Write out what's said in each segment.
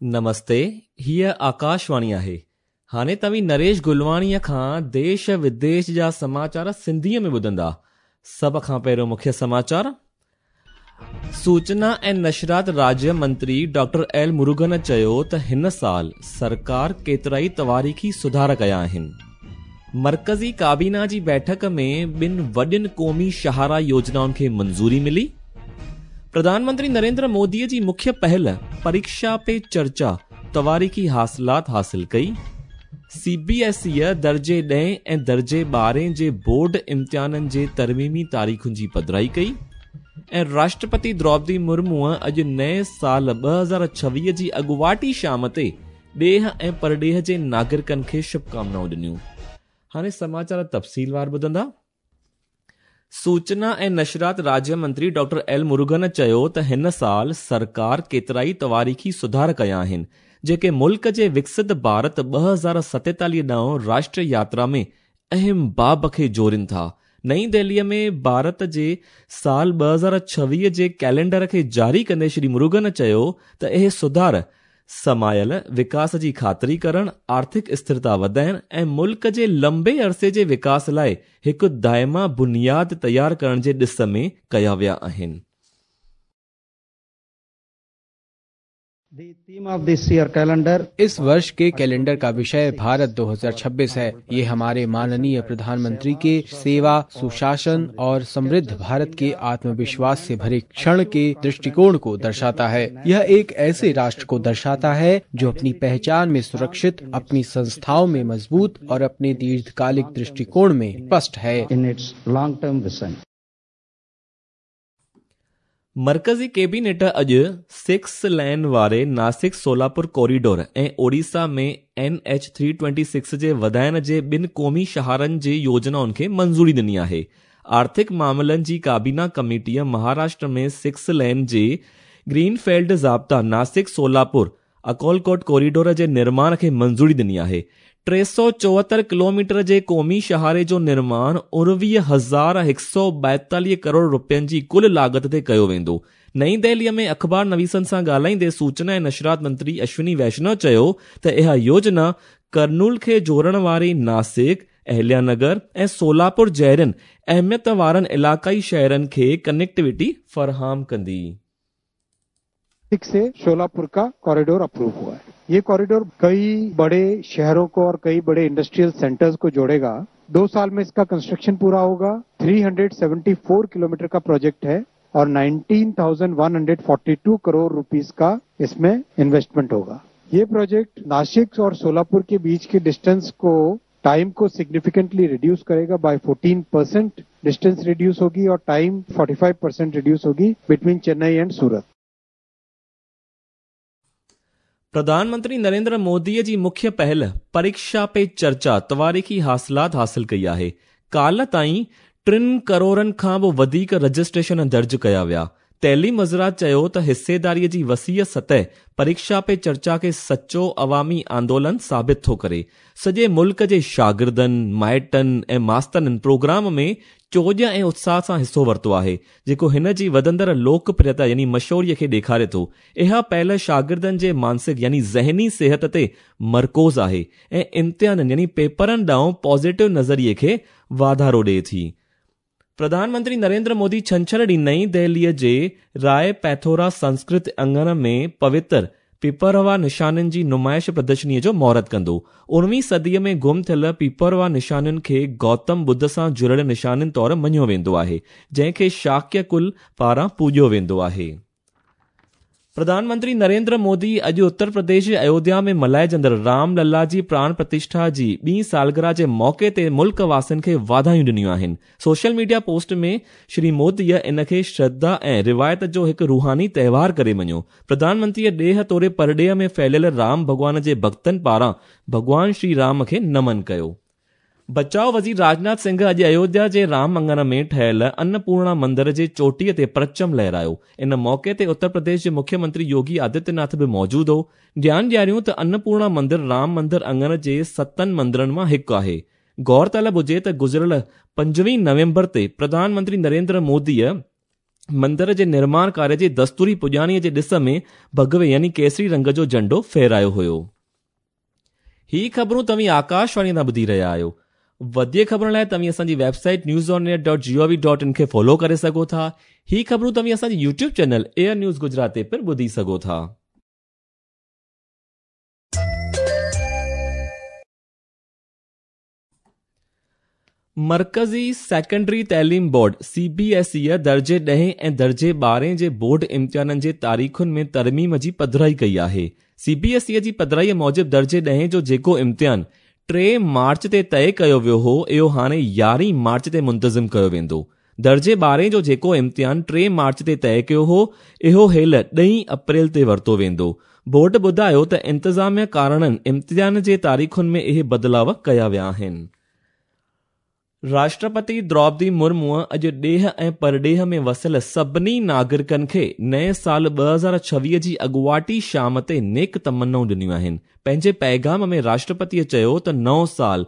نمستي، هيء آڪاشواڻي آهي. هاڻي توهين نريش گلواڻيء کان ديش وديش جا سماچار سنڌيء ۾ ٻڌندا. سڀ کان پهريون مکيه سماچار. سوچنا ۽ نشرات راجيه منتري ڊاڪٽر ايل مروگن چيو ته هن سال سرڪار ڪيترائي تواريخي سڌار ڪيا آهن. مرڪزي ڪابينا جي بيٺڪ ۾ ٻن وڏين قومي شاهراهه يوجنائن کي منظوري ملي. پرڌان منتري نريندر موديء جي مکيه پهل پريڪشا پي چرچا تواريخي حاصلات حاصل ڪئي. سي بي ايس ايء درجي ڏهين ۽ درجي ٻارهين جي بورڊ امتحانن جي ترميمي تاريخن جي پڌرائي ڪئي ۽ راشٽرپتي دروپدي مرموء اڄ نئين سال 2026 جي اڳواٽي شام تي ڏيهه ۽ پرڏيهه جي ناگرڪن کي شڀڪامنائون ڏنيون. هاڻي سماچار تفصيلوار ٻڌندا. سوچنا ۽ نشرات راجيه منتري ڊاڪٽر ايل مروگن چيو ته هن سال سرڪار ڪيترائي تواريخي سڌار ڪيا آهن، جيڪي ملڪ جي وڪست ڀارت 2047 ڏانهن راشٽر ياترا ۾ اهم باب کي جوڙين ٿا. نئين دهليء ۾ ڀارت جي سال 2026 جي ڪئلينڊر کي جاري ڪندي شري مروگن چيو ته اهي سڌار سمايل وڪاس جي خاطري ڪرڻ، آرٿڪ اسٿرتا وڌائڻ ۽ ملڪ جي لنبي عرصي جي وڪاس لاء هڪ دائمي بنياد تيار ڪرڻ جي ڏس ۾ ڪيا ويا آهن. The theme of this year calendar इस वर्ष के कैलेंडर का विषय भारत 2026 है। ये हमारे माननीय प्रधानमंत्री के सेवा, सुशासन और समृद्ध भारत के आत्मविश्वास से भरे क्षण के दृष्टिकोण को दर्शाता है। यह एक ऐसे राष्ट्र को दर्शाता है जो अपनी पहचान में सुरक्षित, अपनी संस्थाओं में मजबूत और अपने दीर्घकालिक दृष्टिकोण में स्पष्ट है। in its long term vision. مرڪزي ڪيبينيٽ اڄ سڪس لين واري Nashik Solapur corridor ۽ Odisha ۾ N H 326 جي وڌائڻ جي ٻن قومي شاهراهن جي يوجنائن کي منظوري ڏني آهي. آرٿڪ معاملن جي ڪابينا ڪميٽيء مهاراشٽر ۾ سڪس لين جي گرين فيلڊ ضابطا ناسڪ سولاپور اڪولڪوٽ ڪوريڊور جي نرماڻ کي منظوري ڏني آهي. 374 ڪلوميٽر جي قومي شاهراهه جو نرماڻ 19142 ڪروڙ رپين جي ڪل لاڳت تي ڪيو ويندو. نئين دهليء ۾ اخبار نويسن سان ڳالهائيندي سوچنا ۽ نشرات منتري اشوني ويشنو چيو ته اها يوجنا ڪرنول کي جوڙڻ واري ناسڪ، اهليا نگر ۽ سولاپور جهڙن اهميت وارن علائقائي شهرن کي ڪنيڪٽيوٽي فراهم ڪندي. नासिक से शोलापुर का कॉरिडोर अप्रूव हुआ है। ये कॉरिडोर कई बड़े शहरों को और कई बड़े इंडस्ट्रियल सेंटर्स को जोड़ेगा। 2 साल में इसका कंस्ट्रक्शन पूरा होगा। 374 किलोमीटर का प्रोजेक्ट है और 19,142 करोड़ रुपीस का इसमें इन्वेस्टमेंट होगा। ये प्रोजेक्ट नासिक और सोलापुर के बीच के डिस्टेंस को, टाइम को सिग्निफिकेंटली रिड्यूस करेगा। बाय 14% डिस्टेंस रिड्यूस होगी और टाइम 45% रिड्यूस होगी बिटवीन चेन्नई एंड सूरत। پرڌان منتري نريندر موديء جي مکيه پهل پريڪشا پي چرچا تواريخي حاصلات حاصل ڪئي آهي. ڪالهه تائين ٽن ڪروڙن کان به وڌيڪ رجسٽريشن درج ڪيا ويا. تعليم وزارت چيو ته حصيداريء جي وسيع سطح پريڪشا پي چرچا کي سچو عوامي آندولن ثابت ٿو ڪري. سڄي ملڪ جي شاگردن، مائٽن ۽ ماسترن پروگرام ۾ چوڄ ۽ اتساهه سان حصو ورتو آهي، جيڪو هن جي وڌندڙ لوڪ پريتا يعني مشهوريء کي ڏيکاري ٿو. اها پهل شاگردن جي مانسڪ يعني ذهني صحت تي مرڪوز آهي ۽ امتحانن يعني پيپرن ڏانهن پازيٽو نظريي کي واڌارو ڏئي ٿي. پرڌان منتري نريندر مودي ڇنڇر ڏينهن نئين دهليء جي راء پيٿورا سنسڪرت اڱڻ ۾ پوتر پيپروا نشانين جي نمائش پردرشنيء جو مهورت ڪندو. اڻويهين صديء ۾ گم ٿيل پيپروا نشانين کي گوتم ٻڌ سان جڙيل نشانين طور مڃيو ويندو آهي، جنهن کي شاڪيه ڪل پاران پوڄيو ويندو آهي. پرڌان منتري نريندر مودي اڄ اتر پرديش جي ايوڌيا ۾ ملهائجندڙ رام للا جي پراڻ پرتشٺا جي ٻي سالگرهه جي موقعي تي ملڪ واسين کي واڌايون ڏنيون آهن. سوشل ميڊيا پوسٽ ۾ شري موديء ان کي شرڌا ۽ روايت جو هڪ روحاني تهوار ڪري مڃيو. پرڌان منتريء ڏيهه توڙي پرڏيهه ۾ ڦهليل رام ڀڳوان جي ڀڳتن پاران ڀڳوان شري رام کي نمن ڪيو. بچاء وزير راجناٿ سنگهه اڄ ايوڌيا جي رام اڱڻ ۾ ٺهيل ان پورڻا مندر جي چوٽيء تي پرچم لهرايو. ان موقعي تي اتر پرديش جي مکيه منتري يوگي آدتيه ناٿ به موجود هو. ڌيان ڏياريون ته ان پورڻا مندر رام مندر اڱڻ جي ستن مندرن مان هڪ آهي. غور طلب هجي ته گذريل 25 نومبر تي پرڌان منتري نريندر موديء مندر جي نرماڻ ڪاريه جي دستوري پڄاڻيء جي ڏس ۾ ڀڳوي يعني ڪيسري رنگ جو جهنڊو ڦهرايو هيو. هي خبرون توهين آڪاشواڻي تان ٻڌي رهيا آهيو. وڌيڪ خبرن لاء توهين اسان جي website news on air dot G O V dot in کي فالو ڪري سگهو ٿا. هي خبرون توهين اسان جي YouTube channel AIR news Gujarat تي پڻ ٻڌي سگهو ٿا. مرڪزي سيڪنڊري تعليم بورڊ، سي بي ايس اي، درجي ڏهين ۽ درجي ٻارهين جي بورڊ امتحانن جي تاريخن ۾ ترميم جي پڌرائي ڪئي آهي. سي بي ايس اي جي پڌرائي موجب درجي ڏهين جو جيڪو امتحان 3 مارچ تي طئي ڪيو ويو هو اهو هاڻي 11 مارچ تي منتظم ڪيو ويندو. درجي ٻارهين جو جيڪو امتحان 3 مارچ تي طئي ڪيو هو اهو هيل ڏهين اپريل تي ورتو ويندو. بورڊ ٻڌايو ته انتظاميه ڪارڻن امتحان جي تاريخن ۾ اهي بدلاء ڪيا ويا آهن. راشٽرپتي دروپدي مرموء اڄ ڏيهه ۽ پرڏيهه ۾ وسيل سڀني ناگرڪن کي نئين سال 2026 جي اڳواٽي شام تي نيڪ تمنائون ڏنيون آهن. پنهنجي پيغام ۾ راشٽرپتيء چيو ته نئون سال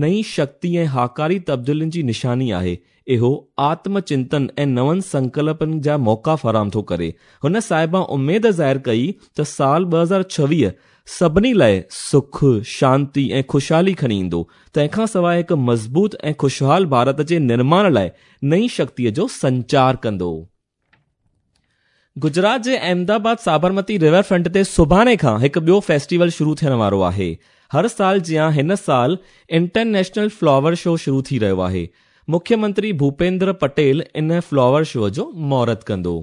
نئين شڪتي ۽ هاڪاري تبديلين جي نشاني آهي. اهو آتم چنتن ۽ نون سنڪلپن جا موقعا فراهم ٿو ڪري. هن صاحبان اميد ظاهر ڪئي ته سال 2026 سڀني لاء سک، شانتي ۽ خوشحالي کڻي ايندو. تنهن کان سواء هڪ مضبوط ۽ خوشحال ڀارت جي نرماڻ لاء نئين شڪتيء جو سنچار ڪندو. گجرات جي احمد آباد سابرمتي ريور فرنٽ تي سڀاڻي کان هڪ ٻيو فيسٽيول شروع ٿيڻ وارو آهي. هر سال جيان هن سال انٽرنيشنل فلاور شو شروع ٿي رهيو آهي. مکيه منتري ڀوپيندر پٽيل ان فلاور شو جو مهورت ڪندو.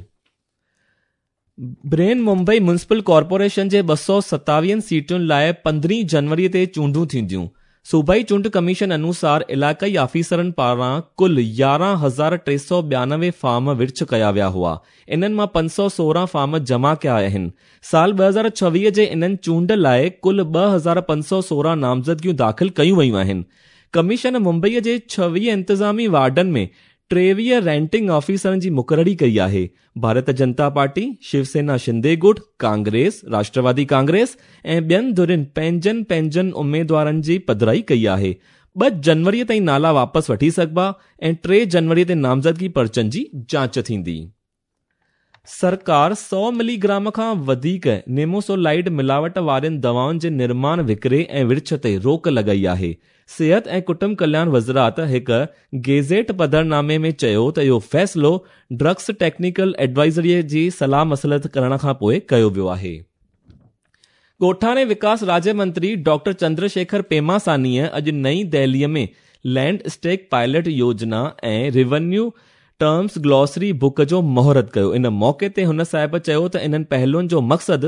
برهن ممبئي ميونسپل ڪارپوريشن جي 227 سيٽن لاء 15 جنوري تي چونڊون ٿينديون. صوبائي چونڊ ڪميشن انوسار علائقائي آفيسرن پاران ڪل 11392 فارم ورڇ ڪيا ويا هئا. انهن مان 516 فارم جمع ڪيا آهن. سال 2026 جي انهن چونڊ لاء ڪل 2516 نامزدگيون داخل ڪيون ويون آهن. ڪميشن ممبئي جي 26 انتظامي وارڊن ۾ 23 ريٽرننگ آفيسرن جي مقرري ڪئي آهي. ڀارت جنتا پارٽي، شيو سينا شندي گٽ، ڪانگريس، راشٽروادي ڪانگريس ۽ ٻين ڌرين پنهنجن پنهنجن اميدوارن جي پڌرائي ڪئي آهي. 2 جنوري تائين نالا واپس وٺي سگهبا ۽ 3 جنوري تي نامزدگي پرچن جي جاچ ٿيندي. سرڪار 100 ملي گرام کان وڌيڪ نيموسولائيڊ ملاوٽ وارين دوائن جي نرماڻ، وڪري ۽ ورڇ تي روڪ لڳائي آهي. صحت ۽ ڪٽنب ڪلياڻ وزارت هڪ گيزيٽ پڌرنامي ۾ چيو ته اهو فيصلو ڊرگس ٽيڪنيڪل ايڊوائزري جي صلاح مصلحت ڪرڻ کانپوء ڪيو ويو آهي. ڳوٺاڻي وڪاس راجيه منتري ڊاڪٽر چندر شيکر پيماسانيء اڄ نئين دهليء ۾ لينڊ اسٽيڪ پائلٽ يوجنا ۽ ريونيو ٽرمز گلوسري بڪ جو مهورت ڪيو. ان موقعي تي هن صاحب چيو ته انهن پهلوئن جو مقصد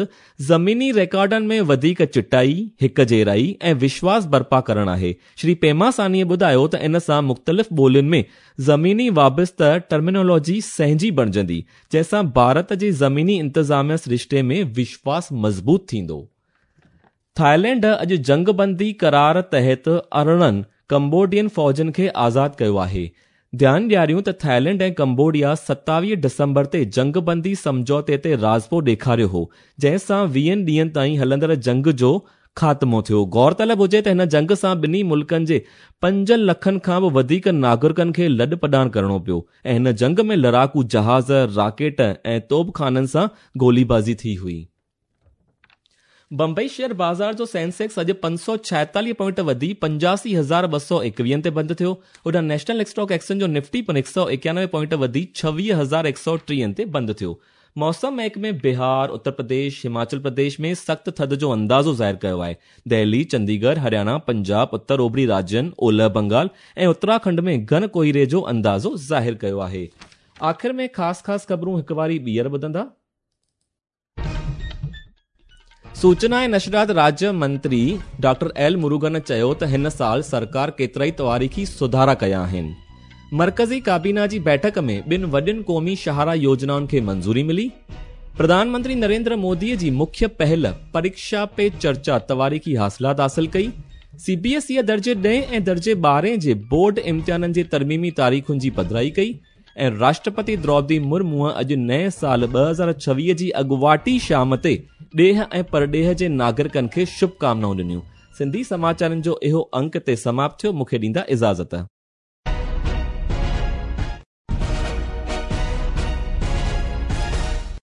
زميني ريڪارڊن ۾ وڌيڪ چٽائي، هڪ جهڙائي ۽ وشواس برپا ڪرڻ آهي. شري پيماسانيء ٻڌايو ته ان سان مختلف ٻولين ۾ زميني وابسته ٽرمينالاجي سهنجي بڻجندي، جنهن سان ڀارت جي زميني انتظاميه سرشتي ۾ وشواس مضبوط ٿيندو. ٿائيلينڊ اڄ جنگ بندي قرار تحت 18 ڪمبوڊين فوجين کي آزاد ڪيو آهي. ڌيان ڏياريون ته ٿائيلينڊ ۽ ڪمبوڊيا 27 ڊسمبر تي جنگ بندي سمجهوتي تي راضپو ڏيکاريو هو، جنهن سان 20 ڏينهن تائين هلندڙ جنگ جو خاتمو ٿيو. غور طلب هجي ته هن جنگ سان ٻنهي ملڪن جي 5 لکن کان به وڌيڪ ناگرڪن کي لڏ پڏاڻ ڪرڻو پيو ۽ هن جنگ ۾ لڙاڪو جهاز، راڪيٽ ۽ توبخانن سان گوليبازي ٿي هئي. بمبئي شيئر بازار جو سينسيڪس اڄ 546 پوائنٽ وڌي 85221 تي بند ٿيو. هوڏانهن نيشنل اسٽاڪ ايڪسچينج جو نفٽي پڻ 191 پوائنٽ وڌي 26130 تي بند ٿيو. موسم محڪمي بهار، اتر پرديش، هماچل پرديش ۾ سخت ٿڌ جو اندازو ظاهر ڪيو آهي. دهلي، چنديڳڙهه، هرياڻا، پنجاب، اتر اوڀري راجين، اولهه بنگال ۽ اتراکنڊ ۾ گهڻ ڪوهيڙي جو اندازو ظاهر ڪيو آهي. آخر ۾ خاص خاص خبرون هڪ واري ٻيهر ٻڌندا. سوچنا ۽ نشريات راجيه منتري ڊاڪٽر ايل مروگن چيو ته هن سال سرڪار ڪيترائي تواريخي سڌارا ڪيا آهن. مرڪزي ڪابينا جي بيٺڪ ۾ ٻن وڏين قومي شاهراهه يوجنائن کي منظوري ملي. پرڌان منتري نريندر مودي جي مکيه پهل پريڪشا پي چرچا تواريخي حاصلات حاصل ڪئي. سي بي ايس اي درجي ڏهين ۽ درجي ٻارهين جي بورڊ امتحانن جي ترميمي تاريخن جي پڌرائي ڪئي. ۽ راشٽرپتي دروپدي مرموء اڄ نئين سال 2026 جي اڳواٽي شام تي ڏيهه ۽ پرڏيهه جي ناگرڪن کي شڀ ڪامنائون ڏنيون. سنڌي سماچارن جو اهو انڪ هتي سماپت ٿيو مون کي ڏيندا اجازت.